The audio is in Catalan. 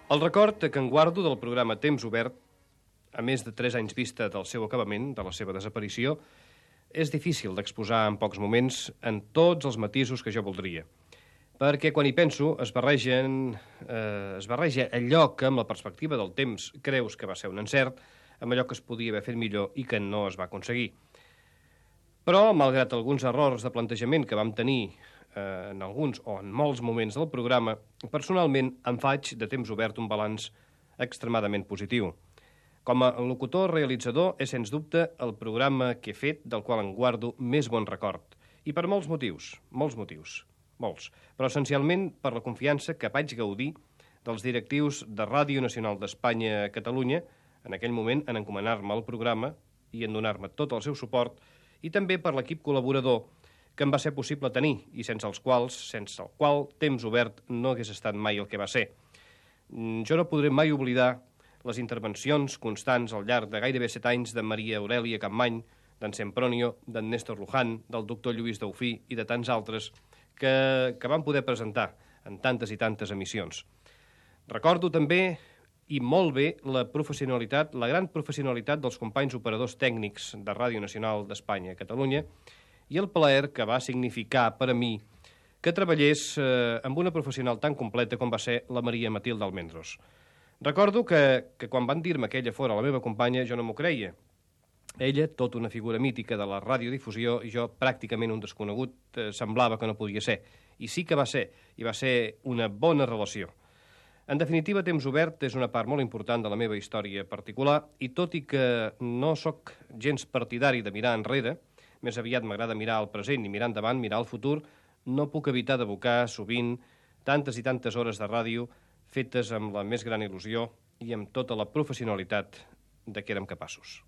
El record que en guardo del programa Temps Obert, a més de 3 anys vista del seu acabament, de la seva desaparició, és difícil d'exposar en pocs moments en tots els matisos que jo voldria. Perquè quan hi penso es barreja allò que amb la perspectiva del temps creus que va ser un encert amb allò que es podia haver fet millor i que no es va aconseguir. Però, malgrat alguns errors de plantejament que vam tenir en alguns o en molts moments del programa, personalment em faig de Temps Obert un balanç extremadament positiu. Com a locutor realitzador és, sens dubte, el programa que he fet del qual en guardo més bon record. I per molts motius, molts. Però essencialment per la confiança que vaig gaudir dels directius de Ràdio Nacional d'Espanya a Catalunya, en aquell moment en encomanar-me al programa i en donar-me tot el seu suport, i també per l'equip col·laborador que em va ser possible tenir i sense el qual Temps Obert no hagués estat mai el que va ser. Jo no podré mai oblidar les intervencions constants al llarg de gairebé 7 anys de Maria Aurèlia Capmany, d'en Sempronio, d'en Néstor Luján, del doctor Lluís Daufí i de tants altres que van poder presentar en tantes i tantes emissions. Recordo també, i molt bé, la gran professionalitat dels companys operadors tècnics de Ràdio Nacional d'Espanya a Catalunya i el plaer que va significar per a mi que treballés amb una professional tan completa com va ser la Maria Matilde Almendros. Recordo que quan van dir-me que ella fora la meva companya, jo no m'ho creia. Ella, tota una figura mítica de la radiodifusió, i jo pràcticament un desconegut, semblava que no podia ser. I sí que va ser, i va ser una bona relació. En definitiva, Temps Obert és una part molt important de la meva història particular, i tot i que no sóc gens partidari de mirar enrere, més aviat m'agrada mirar al present i mirar endavant, mirar al futur, no puc evitar d'evocar sovint tantes i tantes hores de ràdio fetes amb la més gran il·lusió i amb tota la professionalitat de què érem capaços.